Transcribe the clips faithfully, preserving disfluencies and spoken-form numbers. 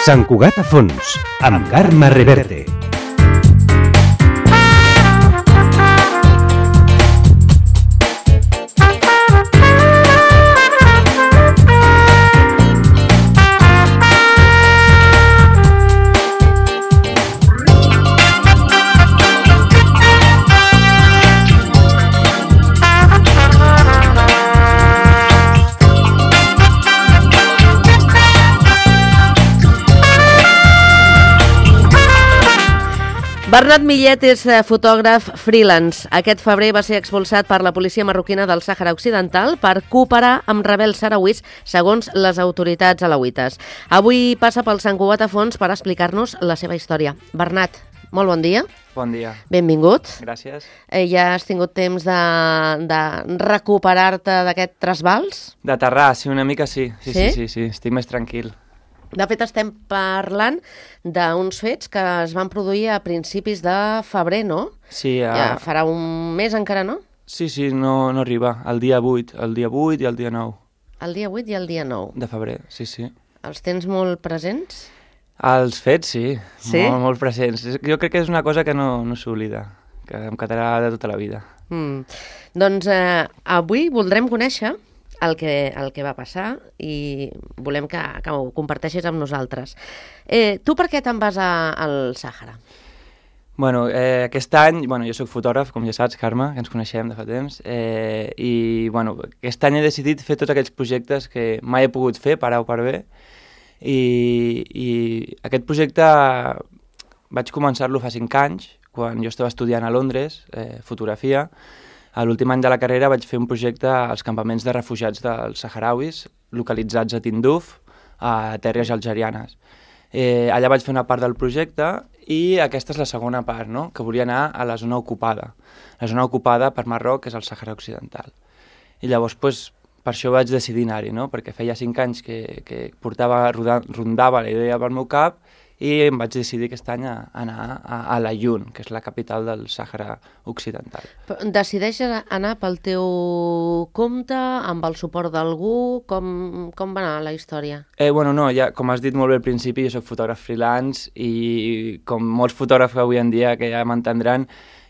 Sant Cugat a fons, amb Carme Reverte. Bernat Millet és fotògraf freelance. Aquest febrer va ser expulsat per la policia marroquina del Sàhara Occidental per cooperar amb rebels sarauís, segons les autoritats alauites. Avui passa pel Sant Cugat a fons per explicar-nos la seva història. Bernat, molt bon dia. Bon dia. Benvingut. Gràcies. Eh, ja has tingut temps de, de recuperar-te d'aquest trasbals? D'aterrar, sí, una mica sí. Sí, sí, sí, sí, sí, estic més tranquil. De fet, estem parlant d'uns fets que es van produir a principis de febrer, no? Sí. A... Ja farà un mes encara, no? Sí, sí, no, no arriba. El dia vuit, el dia vuit i el dia nou. El dia vuit i el dia nou. De febrer, sí, sí. Els tens molt presents? Els fets, sí. Sí? Molt, molt presents. Jo crec que és una cosa que no, no s'oblida, que em quedarà de tota la vida. Mm. Doncs eh, avui voldrem conèixer el que, el que va passar i volem que, que ho comparteixis amb nosaltres. Eh, tu per què te'n vas a, al Sàhara? Bueno, eh, aquest any, bueno, jo soc fotògraf, com ja saps, Carme, que ens coneixem de fa temps, eh, i bueno, aquest any he decidit fer tots aquells projectes que mai he pogut fer, per A o per B, i, i aquest projecte vaig començar-lo fa cinc anys, quan jo estava estudiant a Londres, eh, fotografia. A l'últim any de la carrera vaig fer un projecte als campaments de refugiats dels saharauis, localitzats a Tinduf, a terres algerianes. Eh, allà vaig fer una part del projecte i aquesta és la segona part, no? Que volia anar a la zona ocupada. La zona ocupada per Marroc és el Sàhara Occidental. I llavors, pues, per això vaig decidir anar-hi, no? Perquè feia cinc anys que, que portava, rondava la idea pel meu cap i em vaig decidir aquest any a anar a, a l'Aïun, que és la capital del Sàhara Occidental. Decideixes anar pel teu compte, amb el suport d'algú? Com, com va anar la història? Eh, bueno, no, ja, com has dit molt bé al principi, jo soc fotògraf freelance i com molts fotògrafs avui en dia que ja m'entendran,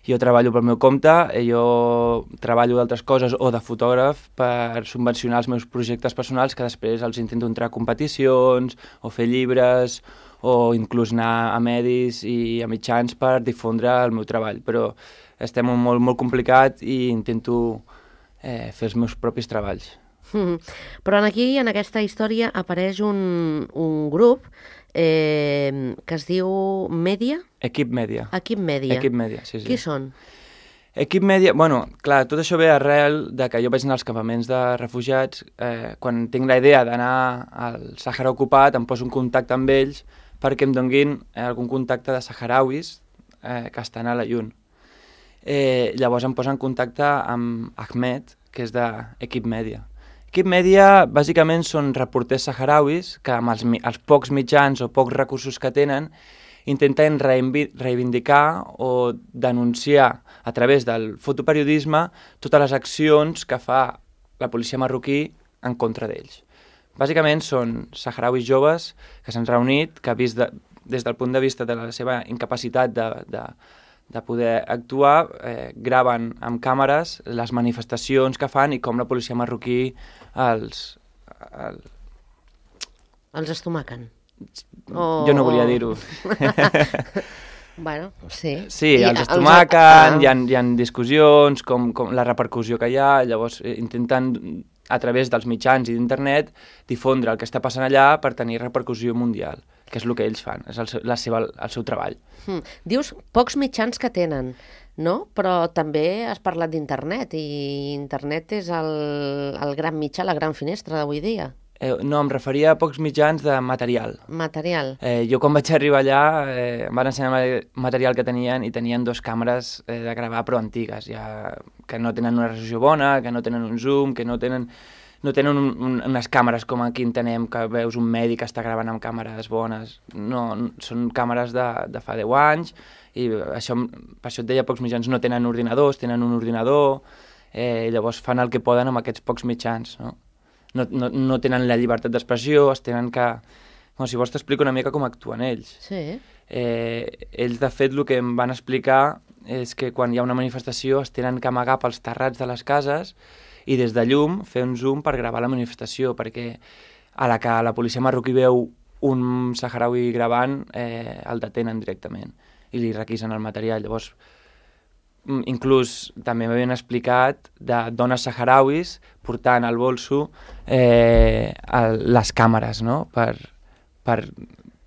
jo treballo pel meu compte, jo treballo d'altres coses o de fotògraf per subvencionar els meus projectes personals que després els intento entrar a competicions o fer llibres o inclús anar a medis i a mitjans per difondre el meu treball. Però estem molt, molt complicat i intento eh, fer els meus propis treballs. Mm. Però aquí, en aquesta història, apareix un, un grup eh, que es diu Mèdia? Equip Mèdia. Equip Mèdia. Equip Mèdia, sí, sí. Qui són? Equip Mèdia, bueno, clar, tot això ve arrel de que jo vaig anar als campaments de refugiats. Eh, quan tinc la idea d'anar al Sàhara ocupat, em poso en contacte amb ells perquè em donguin eh, algun contacte de saharauis eh, que estan a l'Aïun. Eh, llavors em poso en contacte amb Ahmed, que és d'Equip Mèdia. Equip Mèdia, bàsicament, són reporters saharauis que amb els, els pocs mitjans o pocs recursos que tenen intenten reivindicar o denunciar a través del fotoperiodisme totes les accions que fa la policia marroquí en contra d'ells. Bàsicament són saharauis joves que s'han reunit, que vist de, des del punt de vista de la seva incapacitat de, de, de poder actuar, eh, graven amb càmeres les manifestacions que fan i com la policia marroquí els... El... Els estomaquen. Oh. Jo no volia dir-ho. Bueno, sí. Sí, I els estomaquen, els... hi, ha, hi ha discussions, com, com la repercussió que hi ha, llavors eh, intenten a través dels mitjans i d'internet difondre el que està passant allà per tenir repercussió mundial, que és el que ells fan, és el seu, la seva, el seu treball. Mm. Dius pocs mitjans que tenen, no? Però també has parlat d'internet i internet és el, el gran mitjà, la gran finestra d'avui dia. Eh, no, em referia a pocs mitjans de material. Material. Eh, jo quan vaig arribar allà eh, em van ensenyar material que tenien i tenien dos càmeres eh, de gravar però antigues, ja, que no tenen una resolució bona, que no tenen un zoom, que no tenen, no tenen un, un, unes càmeres com aquí entenem, que veus un mèdic que està gravant amb càmeres bones. No, són càmeres de, de fa deu anys i això, per això et deia pocs mitjans, no tenen ordinadors, tenen un ordinador eh, llavors fan el que poden amb aquests pocs mitjans, no? No, no, no tenen la llibertat d'expressió, es tenen que... Bueno, si vols t'explico una mica com actuen ells. Sí. Eh, ells, de fet, el que em van explicar és que quan hi ha una manifestació es tenen que amagar pels terrats de les cases i des de llum fer un zoom per gravar la manifestació, perquè a la que la policia marroquí veu un saharaui gravant, eh, el detenen directament i li requisen el material. Llavors, inclús també m'havien explicat de dones saharauis portant al bolso eh, el, les càmeres, no? Per, per,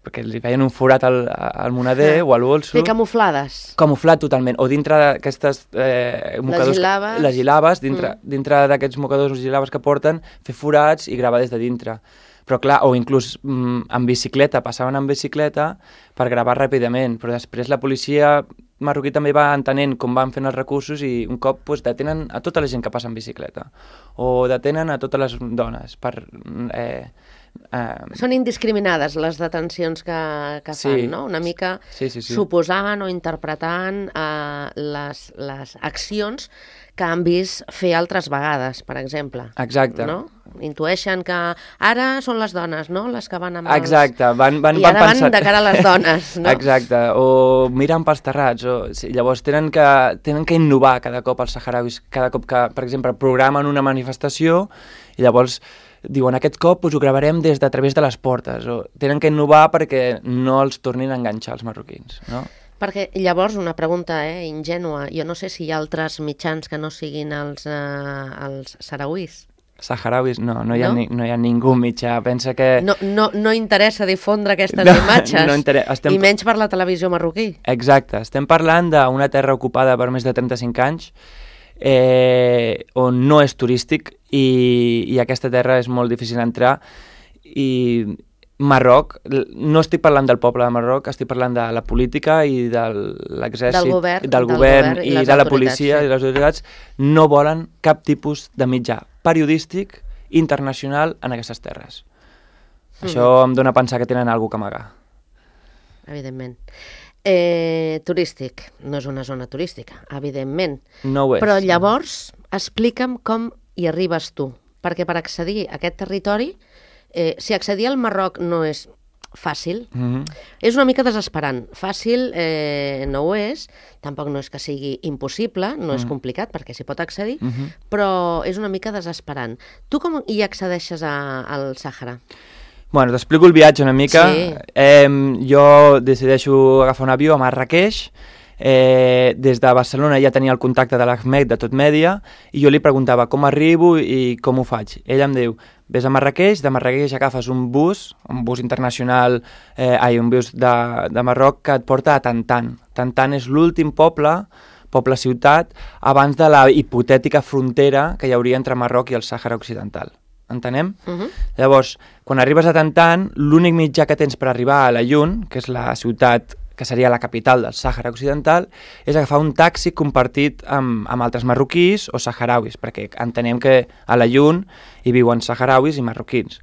perquè li feien un forat al, al moneder ah, o al bolso. Sí, camuflades. Camuflat totalment. O dintre d'aquestes eh, mocadors... Les gilabes. Les gilabes, dintre, mm. dintre d'aquests mocadors o gilabes que porten, fer forats i gravar des de dintre. Però clar, o inclús mm, en bicicleta, passaven en bicicleta per gravar ràpidament, però després la policia marroquí també va entenent com van fent els recursos i un cop pues, detenen a tota la gent que passa en bicicleta o detenen a totes les dones per... Eh, eh... Són indiscriminades les detencions que, que fan, sí, no? Una mica sí, sí, sí. suposant o interpretant eh, les, les accions que han vist fer altres vegades, per exemple. Exacte. No? Intueixen que ara són les dones, no?, les que van amb els... Exacte, van, van, I van ara pensar... van de cara a les dones, no? Exacte, o miren pels terrats, o... sí, llavors tenen que, tenen que innovar cada cop els saharauis, cada cop que, per exemple, programen una manifestació i llavors diuen aquest cop pues, ho gravarem des de a través de les portes, o tenen que innovar perquè no els tornin a enganxar els marroquins, no? Perquè llavors, una pregunta eh, ingènua, jo no sé si hi ha altres mitjans que no siguin els, eh, els sarauís. Saharauis, no, no hi, ha no? Ni, no hi ha ningú mitjà, pensa que... No, no, no interessa difondre aquestes no, imatges, no estem... i menys per la televisió marroquí. Exacte, estem parlant d'una terra ocupada per més de trenta-cinc anys, eh, on no és turístic i, i aquesta terra és molt difícil entrar i... Marroc, no estic parlant del poble de Marroc, estic parlant de la política i de l'exèrcit, del govern, del govern, del govern i, i i de la policia sí. i les autoritats, no volen cap tipus de mitjà periodístic internacional en aquestes terres. Mm. Això em dona a pensar que tenen alguna cosa a amagar. Evidentment. Eh, turístic, no és una zona turística, evidentment. No ho és. Però llavors, explica'm com hi arribes tu, perquè per accedir a aquest territori Eh, si accedir al Marroc no és fàcil, mm-hmm. és una mica desesperant. Fàcil eh, no ho és, tampoc no és que sigui impossible, no mm. és complicat perquè s'hi pot accedir, mm-hmm. però és una mica desesperant. Tu com hi accedeixes a, al Sàhara? Bueno, t'explico el viatge una mica. Sí. Eh, jo decideixo agafar un avió a Marrakeix. Eh, des de Barcelona ja tenia el contacte de l'Ahmed de Tot Mèdia i jo li preguntava com arribo i com ho faig. Ell em diu, ves a Marrakeix, de Marrakeix agafes un bus, un bus internacional, eh, ai, un bus de, de Marroc que et porta a Tantan. Tantan és l'últim poble, poble-ciutat, abans de la hipotètica frontera que hi hauria entre Marroc i el Sàhara Occidental. Entenem? Uh-huh. Llavors, quan arribes a Tantan, l'únic mitjà que tens per arribar a Layun, que és la ciutat que seria la capital del Sàhara Occidental, és agafar un taxi compartit amb, amb altres marroquís o saharauis, perquè entenem que a Layun hi viuen saharauis i marroquins.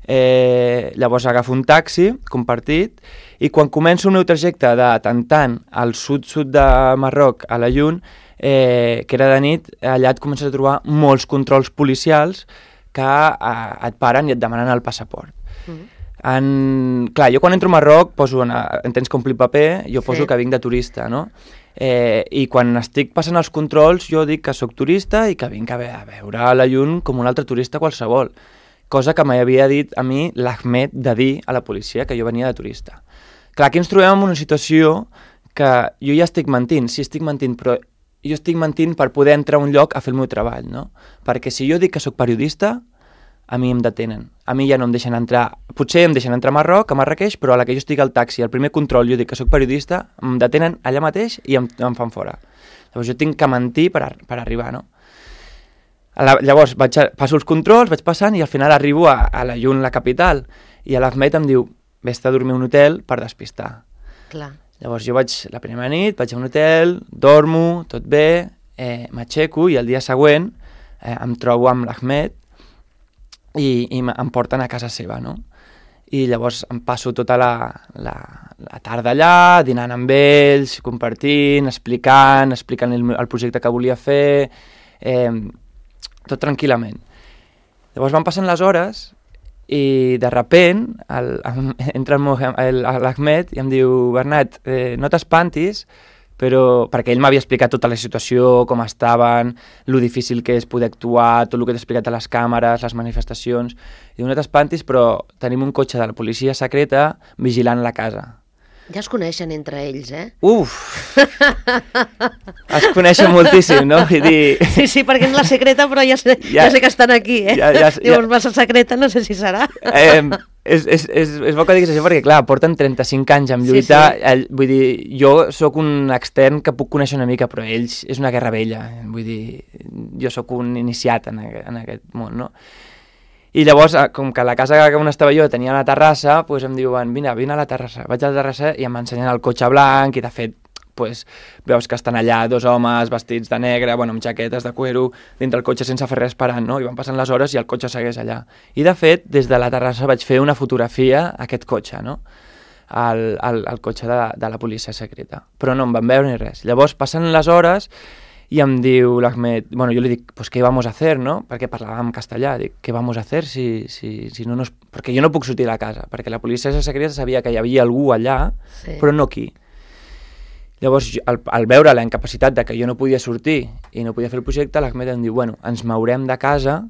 Eh, llavors agafo un taxi compartit i quan començo el meu trajecte de Tantan al sud-sud de Marroc a Layun, eh, que era de nit, allà et comences a trobar molts controls policials que eh, et paren i et demanen el passaport. Mm-hmm. En... Clar, jo quan entro a Marroc poso, en, en tens que omplir paper, jo poso sí. que vinc de turista, no? Eh, I quan estic passant els controls jo dic que sóc turista i que vinc a, ve a veure la llum com un altre turista qualsevol, cosa que m'havia dit a mi l'Ahmed de dir a la policia que jo venia de turista. Clar, aquí ens trobem en una situació que jo ja estic mentint, sí estic mentint, però jo estic mentint per poder entrar a un lloc a fer el meu treball, no? Perquè si jo dic que sóc periodista, a mi em detenen. A mi ja no em deixen entrar... Potser em deixen entrar a Marroc, a Marrakeix, però a la que jo estic al taxi, al primer control, jo dic que sóc periodista, em detenen allà mateix i em, em fan fora. Llavors jo tinc que mentir per, ar per arribar, no? A la, llavors vaig a, passo els controls, vaig passant i al final arribo a, a la Llun, la capital, i a l'Ahmed em diu, vés-te a dormir a un hotel per despistar. Clar. Llavors jo vaig, la primera nit, vaig a un hotel, dormo, tot bé, eh, m'aixeco i el dia següent eh, em trobo amb l'Ahmed i, i em porten a casa seva, no? I llavors em passo tota la, la, la tarda allà, dinant amb ells, compartint, explicant, explicant el, el projecte que volia fer, eh, tot tranquil·lament. Llavors van passant les hores i de repent el, entra l'Ahmed i em diu, Bernat, eh, no t'espantis, però perquè ell m'havia explicat tota la situació, com estaven, lo difícil que és poder actuar, tot el que t'he explicat a les càmeres, les manifestacions. I diu, no t'espantis, però tenim un cotxe de la policia secreta vigilant la casa. Ja es coneixen entre ells, eh? Uf! Es coneixen moltíssim, no? Vull dir... Sí, sí, perquè és la secreta, però ja sé, ja, ja sé que estan aquí, eh? Ja, ja, Llavors, ja. massa secreta, no sé si serà. Eh, és, és, és, és bo que diguis això perquè, clar, porten trenta-cinc anys en lluita. Sí, sí. El, vull dir, jo sóc un extern que puc conèixer una mica, però ells és una guerra vella. Vull dir, jo sóc un iniciat en, en aquest món, no? I llavors, com que la casa on estava jo tenia la terrassa, doncs em diuen, vine, vine a la terrassa. Vaig a la terrassa i em ensenyen el cotxe blanc i, de fet, doncs, veus que estan allà dos homes vestits de negre, bueno, amb jaquetes de cuero, dintre el cotxe sense fer res esperant, no? I van passant les hores i el cotxe segueix allà. I, de fet, des de la terrassa vaig fer una fotografia a aquest cotxe, no? El, el, el cotxe de, de la policia secreta. Però no em van veure ni res. Llavors, passen les hores... I em diu l'Ahmed, bueno, jo li dic, pues, ¿qué vamos a hacer, no? Perquè parlàvem castellà, dic, ¿qué vamos a hacer si, si, si no nos... Perquè jo no puc sortir de la casa, perquè la policia secreta sabia que hi havia algú allà, sí. Però no aquí. Llavors, al, al veure la incapacitat de que jo no podia sortir i no podia fer el projecte, l'Ahmed em diu, bueno, ens mourem de casa,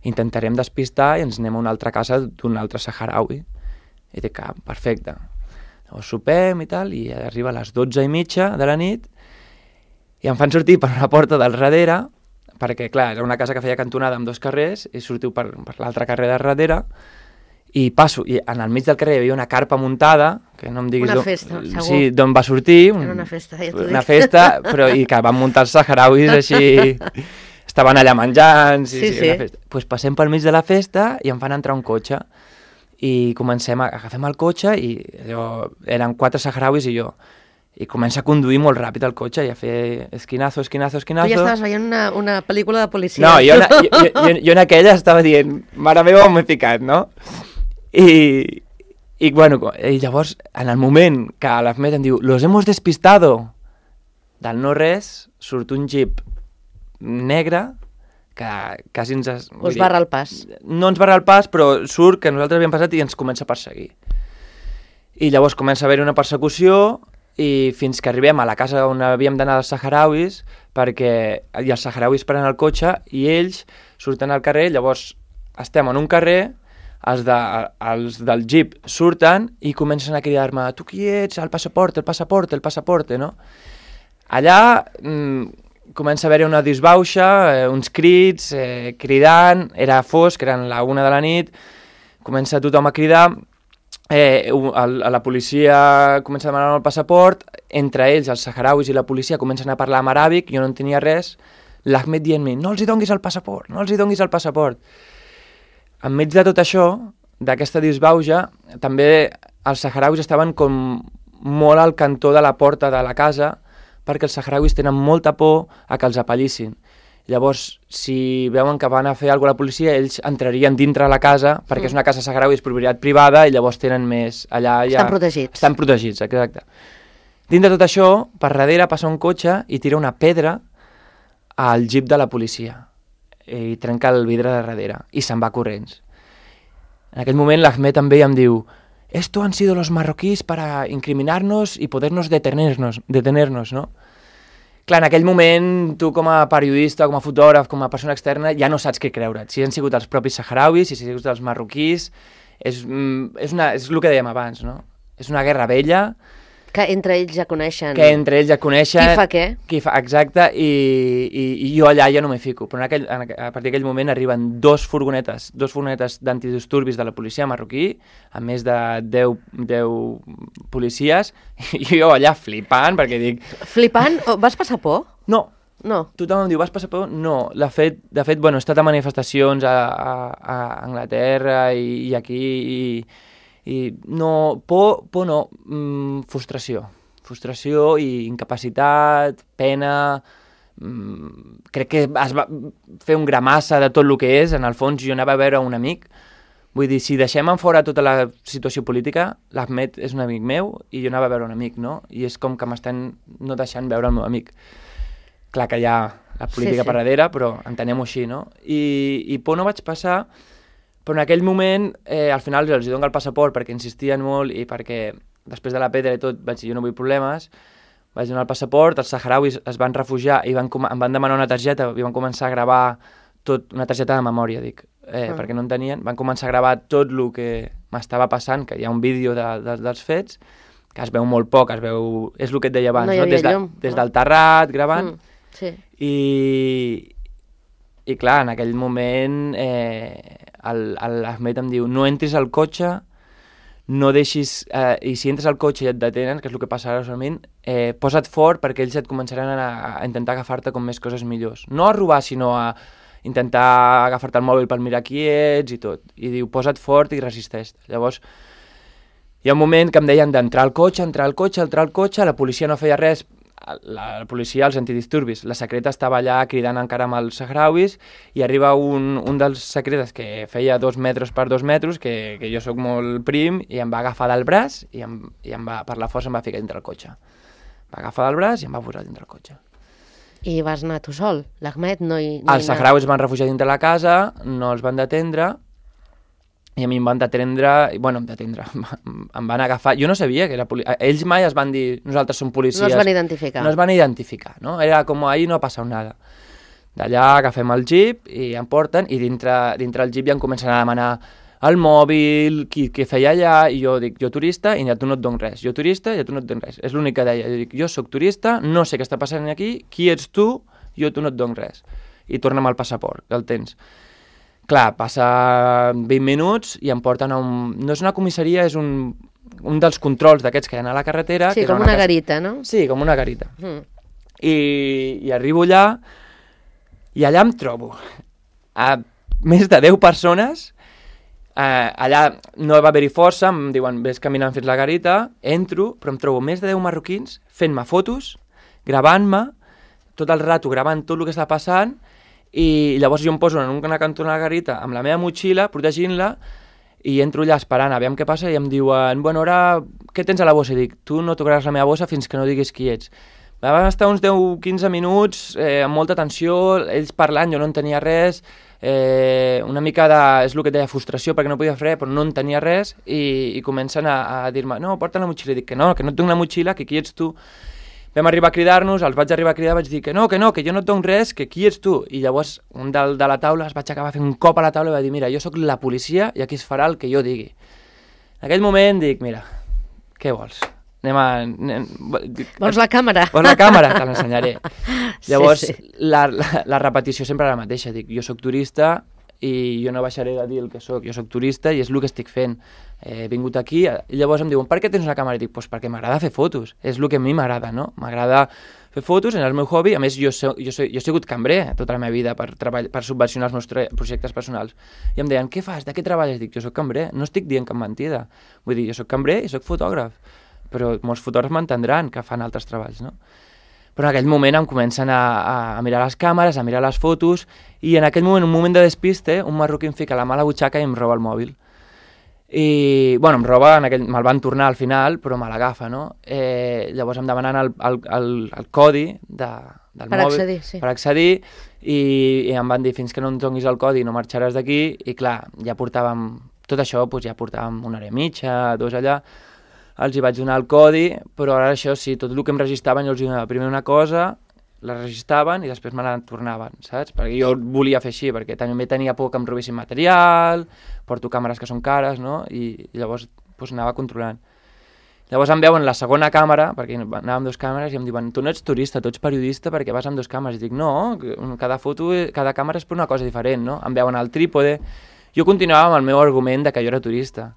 intentarem despistar i ens anem a una altra casa d'un altre saharaui. I dic, ah, perfecte. Llavors sopem i tal, i arriba a les dotze i mitja de la nit, i em fan sortir per una porta del darrere, perquè, clar, era una casa que feia cantonada amb dos carrers, i sortiu per, per l'altre carrer de darrere, i passo, i en el mig del carrer hi havia una carpa muntada, que no em diguis... Una festa, do, segur. Sí, d'on va sortir... Un, era una festa, ja t'ho dic. Una festa, però i que van muntar els saharauis així... Estaven allà menjant... Sí, sí. sí, sí. Una festa. Pues passem pel mig de la festa i em fan entrar un cotxe. I comencem a... Agafem el cotxe i allò, eren quatre saharauis i jo. I comença a conduir molt ràpid el cotxe i a fer esquinazo, esquinazo, esquinazo... Tu ja estaves veient una, una pel·lícula de policia. No, jo, jo, jo, jo, jo en aquella estava dient, mare meva, on m'he ficat, no? I, i, bueno, i llavors, en el moment que l'Ahmed em diu, los hemos despistado, del no res, surt un jeep negre que quasi ens... Es, Us barra el pas. No ens barra el pas, però surt que nosaltres havíem passat i ens comença a perseguir. I llavors comença a haver una persecució... i fins que arribem a la casa on havíem d'anar dels saharauis, perquè i els saharauis prenen el cotxe i ells surten al carrer, llavors estem en un carrer, els, de, els del jeep surten i comencen a cridar-me, tu qui ets? El passaport, el passaport, el passaport, no? Allà mmm, comença a haver una disbauxa, eh, uns crits, eh, cridant, era fosc, eren la una de la nit, comença tothom a cridar. Eh, el, la policia comença a demanar el passaport, entre ells, els saharauis i la policia, comencen a parlar en aràbic, jo no en tenia res, l'Ahmed dient-me, no els hi donguis el passaport, no els hi donguis el passaport. Enmig de tot això, d'aquesta disbauxa, també els saharauis estaven com molt al cantó de la porta de la casa, perquè els saharauis tenen molta por a que els apallissin. Llavors, si veuen que van a fer alguna cosa a la policia, ells entrarien dintre la casa, perquè mm. és una casa saharaui, és propietat privada, i llavors tenen més... Allà ja... Estan protegits. Estan protegits, exacte. Dins de tot això, per darrere passa un cotxe i tira una pedra al jeep de la policia. I trenca el vidre de darrere, i se'n va corrents. En aquell moment l'Ahmed també em diu «Esto han sido los marroquíes para incriminarnos y podernos detenernos, detenernos, ¿no?» Clar, en aquell moment, tu com a periodista, com a fotògraf, com a persona externa, ja no saps què creure't. Si han sigut els propis saharauis, si han sigut els marroquís, és, és, una, és el que dèiem abans, no? És una guerra vella. Que entre ells ja coneixen. Que entre ells ja coneixen. Qui fa què. Qui fa, exacte, i, i, i jo allà ja no m'hi fico. Però en aquell, en, a partir d'aquell moment arriben dos furgonetes, dos furgonetes d'antidisturbis de la policia marroquí, amb més de deu, deu policies, i jo allà flipant, perquè dic... Flipant? Vas passar por? No. No. Tothom em diu, vas passar por? No. De fet, de fet bueno, he estat a manifestacions a, a, a Anglaterra i, i aquí, i... I no, por, por no, mm, frustració. Frustració i incapacitat, pena... Mm, crec que es va fer un gramassa de tot el que és. En el fons jo anava a veure un amic. Vull dir, si deixem en fora tota la situació política, l'Ahmed és un amic meu i jo anava a veure un amic, no? I és com que m'estan no deixant veure el meu amic. Clar que ja la política Sí, sí. per darrere, però entenem-ho així, no? I, i por no vaig passar, però en aquell moment, eh, al final els dono el passaport perquè insistien molt i perquè després de la pedra i tot vaig dir jo no vull problemes, vaig donar el passaport, els saharauis es van refugiar i van, em van demanar una targeta i van començar a gravar tot, una targeta de memòria, dic, eh, ah. perquè no en tenien, van començar a gravar tot el que m'estava passant, que hi ha un vídeo de, de, dels fets, que es veu molt poc, es veu, és el que et deia abans, no no? des, de, llum, des no? del terrat gravant, mm, sí. i, i clar, en aquell moment eh, l'Ahmed em diu no entris al cotxe, no deixis, eh, i si entres al cotxe i et detenen, que és el que passa ara solament, eh, posa't fort perquè ells et començaran a, a intentar agafar-te com més coses millors. No a robar, sinó a intentar agafar-te el mòbil per mirar qui ets i tot. I diu, posa't fort i resisteix. Llavors, hi ha un moment que em deien d'entrar al cotxe, entrar al cotxe, entrar al cotxe, la policia no feia res, la, la policia, els antidisturbis, la secreta estava allà cridant encara amb els sahrauis i arriba un, un dels secretes que feia dos metres per dos metres, que, que jo sóc molt prim, i em va agafar del braç i, em, i em va, per la força em va ficar dintre el cotxe. Em va agafar del braç i em va posar dintre el cotxe. I vas anar tu sol? L'Ahmed no hi... Els sahrauis van refugiar dintre la casa, no els van detendre, i a mi em van detendre, bueno, em detendre, em van agafar, jo no sabia que era policia, ells mai es van dir, nosaltres som policies. No es van identificar. No es van identificar, no? Era com, ahir no ha passat nada. D'allà agafem el jeep i em porten, i dintre, dintre el jeep ja em comencen a demanar el mòbil, qui, què feia allà, i jo dic, jo turista, i a tu no et dono res. Jo turista, i a tu no et dono res. És l'únic que deia. Jo dic, jo sóc turista, no sé què està passant aquí, qui ets tu, jo a tu no et dono res. I torna'm el passaport, que el tens. Clar, passa vint minuts i em porten a un... No és una comissaria, és un, un dels controls d'aquests que hi ha a la carretera. Sí, que com una, una casa... garita, no? Sí, com una garita. Mm. I, I arribo allà, i allà em trobo a més de deu persones, eh, allà no va haver-hi força, em diuen, ves caminant fins la garita, entro, però em trobo més de deu marroquins fent-me fotos, gravant-me, tot el rato gravant tot el que està passant, i llavors jo em poso en una cantona de la garita amb la meva motxilla, protegint-la, i entro allà esperant a veure què passa, i em diuen, bueno, ara, què tens a la bossa? I dic, tu no tocaràs la meva bossa fins que no diguis qui ets. Van estar uns deu a quinze minuts, eh, amb molta tensió, ells parlant, jo no en tenia res, eh, una mica de, és el que deia, frustració, perquè no podia fer res, però no en tenia res, i, i comencen a, a dir-me, no, porta la motxilla. I dic que no, que no et dono la motxilla, que qui ets tu? Vam arribar a cridar-nos, els vaig arribar a cridar, vaig dir que no, que no, que jo no et dono res, que qui ets tu? I llavors un del, de la taula es vaig acabar fent un cop a la taula i va dir, mira, jo sóc la policia i aquí es farà el que jo digui. En aquell moment dic, mira, què vols? Anem a... Anem... Vols la càmera? Vols la càmera? Te l'ensenyaré. Llavors, sí, sí. La, la, la repetició sempre la mateixa, dic, jo sóc turista i jo no baixaré de dir el que sóc, jo sóc turista i és el que estic fent. He vingut aquí, i llavors em diuen, per què tens una càmera? I dic, pues perquè m'agrada fer fotos, és el que a mi m'agrada, no? M'agrada fer fotos, en el meu hobby, a més jo, so, jo, so, jo he sigut cambrer tota la meva vida per, treball, per subvencionar els meus projectes personals. I em deien, què fas, de què treballes? Dic, jo sóc cambrer, no estic dient cap mentida. Vull dir, jo sóc cambrer i sóc fotògraf, però molts fotògrafs m'entendran que fan altres treballs, no? Però en aquell moment em comencen a, a, a mirar les càmeres, a mirar les fotos, i en aquell moment, un moment de despiste, un marroquí em fica la mà a la butxaca i em roba el mòbil. I, bueno, em roba, en aquell, me'l van tornar al final, però me l'agafa, no? Eh, llavors em demanen el, el, el, el codi de, del per mòbil. Accedir, sí. Per accedir, i, i em van dir, fins que no em donis el codi no marxaràs d'aquí, i clar, ja portàvem, tot això, doncs ja portàvem una hora i mitja, dos allà, els hi vaig donar el codi, però ara això sí, tot el que em registraven jo els donava primer una cosa, la registraven i després me la tornaven, saps? Perquè jo volia fer així, perquè també tenia por que em robessin material, porto càmeres que són cares, no? I, i llavors doncs, anava controlant. Llavors em veuen la segona càmera, perquè anava amb dues càmeres, i em diuen, tu no ets turista, tu ets periodista perquè vas amb dues càmeres. I dic, no, cada foto, cada càmera és per una cosa diferent, no? Em veuen al trípode. Jo continuava amb el meu argument de que jo era turista,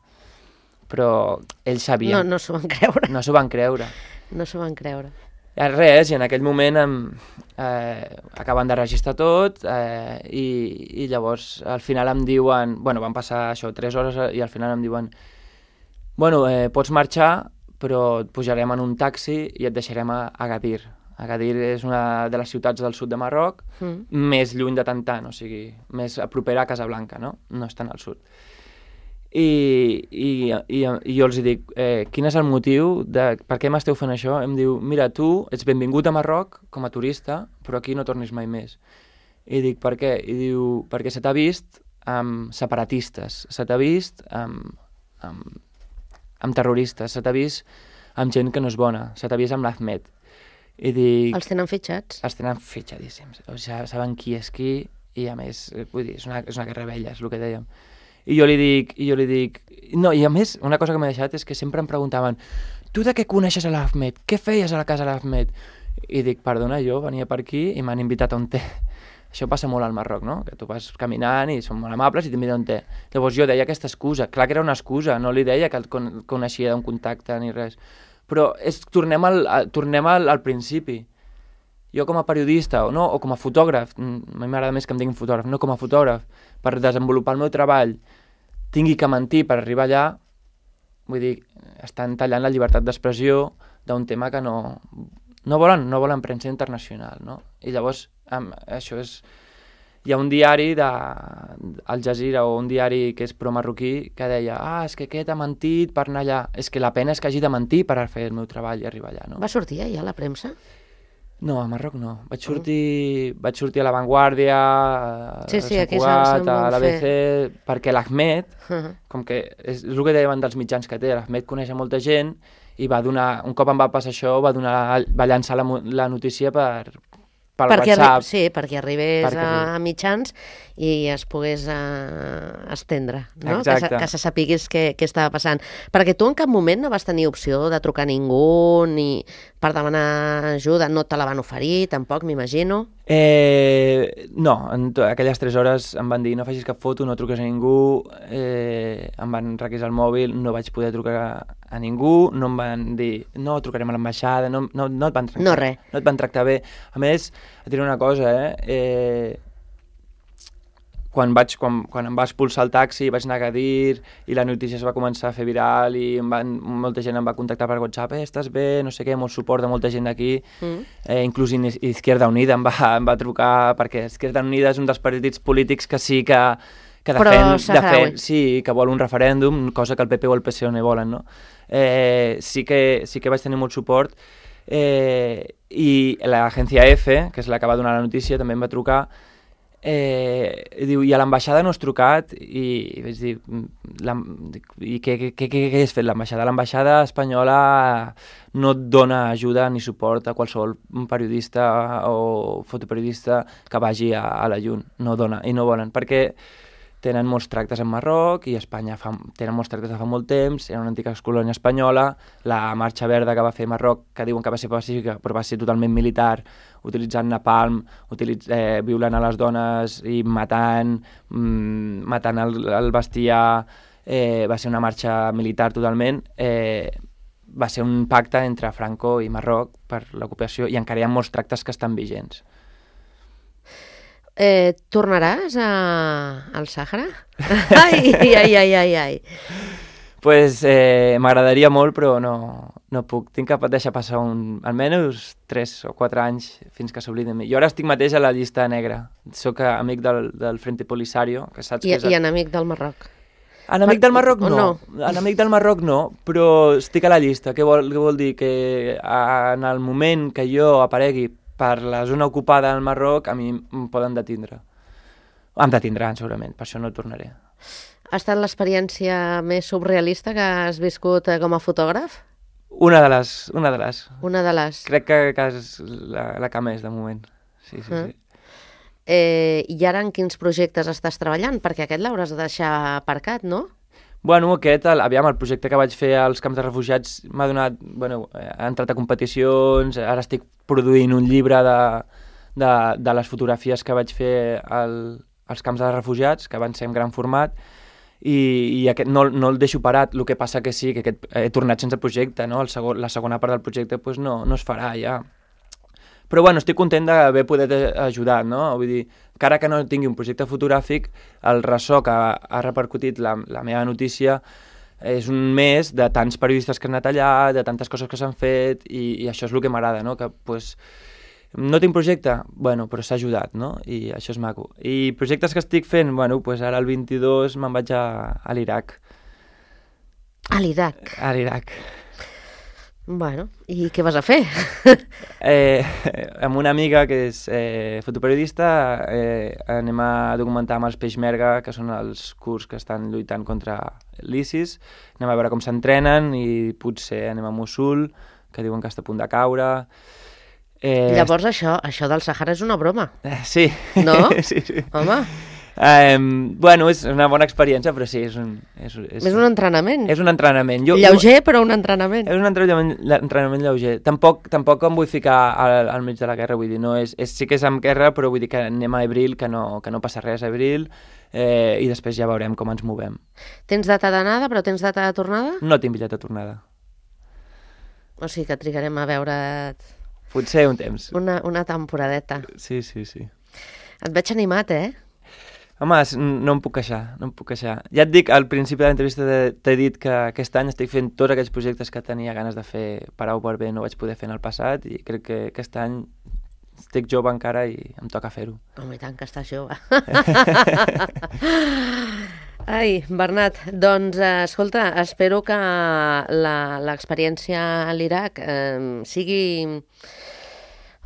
però ells sabien. No, no s'ho van creure. No s'ho van creure. No s'ho van creure. I res, i en aquell moment em, eh, acaben de registrar tot, eh, i, i llavors al final em diuen, bueno, van passar això, tres hores, i al final em diuen, bueno, eh, pots marxar, però et pujarem en un taxi i et deixarem a Agadir. Agadir és una de les ciutats del sud de Marroc, mm. més lluny de Tantan, o sigui, més propera a Casablanca, no? No és tan al sud. I, i, i, i jo els dic, eh, quin és el motiu de per què m'esteu fent això? Em diu, mira, tu ets benvingut a Marroc com a turista, però aquí no tornis mai més. I dic, per què? I diu, perquè se t'ha vist amb separatistes, se t'ha vist amb, amb, amb terroristes, se t'ha vist amb gent que no és bona, se t'ha vist amb l'Ahmed. I dic... Els tenen fitxats? Els tenen fitxadíssims. O sigui, saben qui és qui i, a més, vull dir, és una, és una guerra vella, és el que dèiem. I jo li dic, i jo li dic... No, i a més, una cosa que m'ha deixat és que sempre em preguntaven tu de què coneixes a l'Ahmed? Què feies a la casa de l'Ahmed? I dic, perdona, jo venia per aquí i m'han invitat a un té. Això passa molt al Marroc, no? Que tu vas caminant i són molt amables i t'inviten a un té. Llavors jo deia aquesta excusa. Clar que era una excusa, no li deia que el con coneixia d'un contacte ni res. Però és, tornem, al, a, tornem al, al principi. Jo com a periodista o, no, o com a fotògraf, a mi m'agrada més que em diguin fotògraf, no com a fotògraf, per desenvolupar el meu treball, tingui que mentir per arribar allà, vull dir, estan tallant la llibertat d'expressió d'un tema que no, no volen, no volen premsa internacional, no? I llavors, amb, això és... Hi ha un diari de Al Jazeera o un diari que és pro-marroquí que deia, ah, és que aquest ha mentit per anar allà. És que la pena és que hagi de mentir per fer el meu treball i arribar allà, no? Va sortir allà a la premsa? No, a Marroc no. Vaig sortir, mm. vaig sortir a La Vanguardia, a sí, sí, Sant Cugat, a l'A B C, fer... perquè l'Ahmed, uh -huh. com que és, és el que deien dels mitjans que té, l'Ahmed coneix a molta gent i va donar, un cop em va passar això, va, donar, va llançar la, la notícia per, per perquè WhatsApp. Sí, perquè arribés perquè a, a mitjans i es pogués uh, estendre, no? Exacte. Que, que se sapigués què, què estava passant. Perquè tu en cap moment no vas tenir opció de trucar a ningú ni per demanar ajuda, no te la van oferir, tampoc, m'imagino. Eh, no, en aquelles tres hores em van dir no facis cap foto, no truques a ningú, eh, em van requisar el mòbil, no vaig poder trucar a, a ningú, no em van dir no, trucarem a l'ambaixada, no, no, no et van tractar, no, res. No et van tractar bé. A més, et diré una cosa, eh, eh quan, vaig, quan, quan em va expulsar el taxi vaig anar a Agadir i la notícia es va començar a fer viral i em van, molta gent em va contactar per WhatsApp, eh, estàs bé, no sé què, molt suport de molta gent d'aquí, mm. eh, inclús Izquierda Unida em va, em va trucar perquè Izquierda Unida és un dels partits polítics que sí que, que defen, defen, sí, que vol un referèndum, cosa que el P P o el P S O no volen, no? Eh, sí, que, sí que vaig tenir molt suport eh, i l'agència F, que és la que va donar la notícia, també em va trucar. Eh, diu, i a l'ambaixada no has trucat i vaig dir, i què, què, què, què has fet l'ambaixada? L'ambaixada espanyola no et dona ajuda ni suport a qualsevol periodista o fotoperiodista que vagi a, a la llum, no dona, i no volen, perquè tenen molts tractes en Marroc i Espanya fa, tenen molts tractes de fa molt temps, era una antiga colònia espanyola, la marxa verda que va fer Marroc, que diuen que va ser pacífica, però va ser totalment militar, utilitzant napalm, utilitz, eh, violant a les dones i matant, mm, matant el, el bestiar, eh, va ser una marxa militar totalment, eh, va ser un pacte entre Franco i Marroc per l'ocupació i encara hi ha molts tractes que estan vigents. Eh, tornaràs a... al Sàhara? Ai, ai, ai, ai, ai. Pues eh, m'agradaria molt, però no, no puc. Tinc que deixar passar un, almenys tres o quatre anys fins que s'oblidi de mi. Jo ara estic mateix a la llista negra. Soc amic del, del Frente Polisario, que saps I, que és... I enemic del Marroc. Enemic del Marroc no. no. Enemic del Marroc no, però estic a la llista. Què vol, què vol dir? Que en el moment que jo aparegui per la zona ocupada del Marroc, a mi em poden detindre. Em detindran, segurament, per això no tornaré. Ha estat l'experiència més surrealista que has viscut com a fotògraf? Una de les. Una de les. Una de les. Crec que, que és la, la que més, de moment. Sí, sí, uh-huh. sí. Eh, I ara en quins projectes estàs treballant? Perquè aquest l'hauràs de deixar aparcat, no? Bueno, aquest, el, aviam, el projecte que vaig fer als camps de refugiats m'ha donat, bueno, ha entrat a competicions, ara estic produint un llibre de, de, de les fotografies que vaig fer al, als camps de refugiats, que van ser en gran format, i, i aquest, no, no el deixo parat, el que passa que sí, que aquest, he tornat sense projecte, no? El segon, la segona part del projecte pues, no, no es farà ja. Però bueno, estic content d'haver poder ajudar, no? Vull dir, encara que no tingui un projecte fotogràfic, el ressò que ha repercutit la, la meva notícia és un mes de tants periodistes que han anat allà, de tantes coses que s'han fet, i, i això és el que m'agrada, no? Que, pues, no tinc projecte? Bueno, però s'ha ajudat, no? I això és maco. I projectes que estic fent? Bueno, pues ara el vint-i-dos me'n vaig a, a l'Iraq. A l'Iraq. A l'Iraq. Bueno, i què vas a fer? Eh, amb una amiga que és eh, fotoperiodista eh, anem a documentar amb els Peixmerga, que són els kurds que estan lluitant contra l'ISIS. Anem a veure com s'entrenen i potser anem a Mossul, que diuen que està a punt de caure. Eh, Llavors això, això del Sàhara és una broma. Eh, sí. No? sí, sí. Home... Um, bueno, és una bona experiència, però sí, és un... És, és, és un entrenament. És un entrenament. Jo, Lleuger, però un entrenament. És un entrenament, entrenament lleuger. Tampoc, tampoc em vull ficar al, al mig de la guerra, vull dir, no és, és, sí que és amb guerra, però vull dir que anem a Abril, que no, que no passa res a Abril, eh, i després ja veurem com ens movem. Tens data d'anada, però tens data de tornada? No tinc bitllet de tornada. O sigui que trigarem a veure't... Potser un temps. Una, una temporadeta. Sí, sí, sí. Et veig animat, eh? Home, no em puc queixar, no em puc queixar. Ja et dic, al principi de l'entrevista t'he dit que aquest any estic fent tots aquells projectes que tenia ganes de fer per A o per B, no vaig poder fer en el passat, i crec que aquest any estic jove encara i em toca fer-ho. Home, i tant que estàs jove. Ai, Bernat, doncs, eh, escolta, espero que l'experiència a l'Iraq eh, sigui...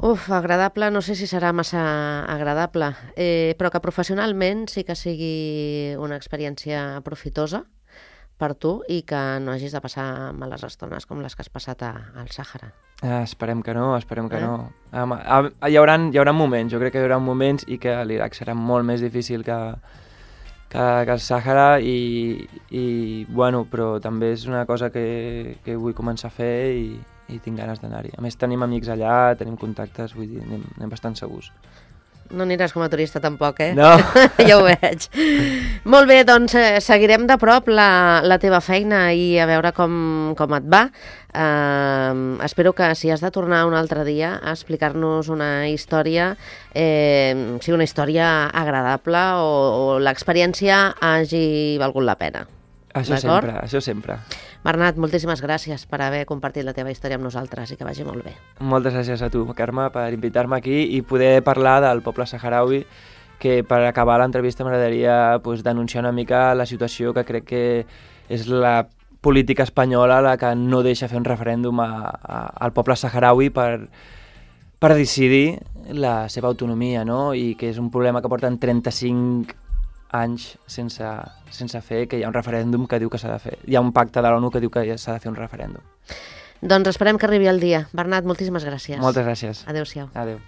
Uf, agradable, no sé si serà massa agradable, eh, però que professionalment sí que sigui una experiència profitosa per tu i que no hagis de passar males estones com les que has passat a, al Sàhara. Ah, esperem que no, esperem que eh? no. Ah, ah, hi, haurà, hi haurà moments, jo crec que hi haurà moments i que l'Iraq serà molt més difícil que, que, que el Sàhara i, i, bueno, però també és una cosa que, que vull començar a fer i i tinc ganes d'anar-hi. A més, tenim amics allà, tenim contactes, vull dir, anem, anem bastant segurs. No aniràs com a turista tampoc, eh? No. Ja ho veig. Molt bé, doncs eh, seguirem de prop la, la teva feina i a veure com, com et va. Uh, espero que si has de tornar un altre dia a explicar-nos una història, eh, sigui una història agradable o, o l'experiència hagi valgut la pena. Això sempre, això sempre. Bernat, moltíssimes gràcies per haver compartit la teva història amb nosaltres i que vagi molt bé. Moltes gràcies a tu, Carme, per invitar-me aquí i poder parlar del poble saharaui, que per acabar l'entrevista m'agradaria pues, denunciar una mica la situació que crec que és la política espanyola la que no deixa fer un referèndum a, a, al poble saharaui per, per decidir la seva autonomia, no? I que és un problema que porten trenta-cinc anys sense, sense fer, que hi ha un referèndum que diu que s'ha de fer. Hi ha un pacte de l'ONU que diu que s'ha de fer un referèndum. Doncs esperem que arribi el dia. Bernat, moltíssimes gràcies. Moltes gràcies. Adéu-siau. Adéu.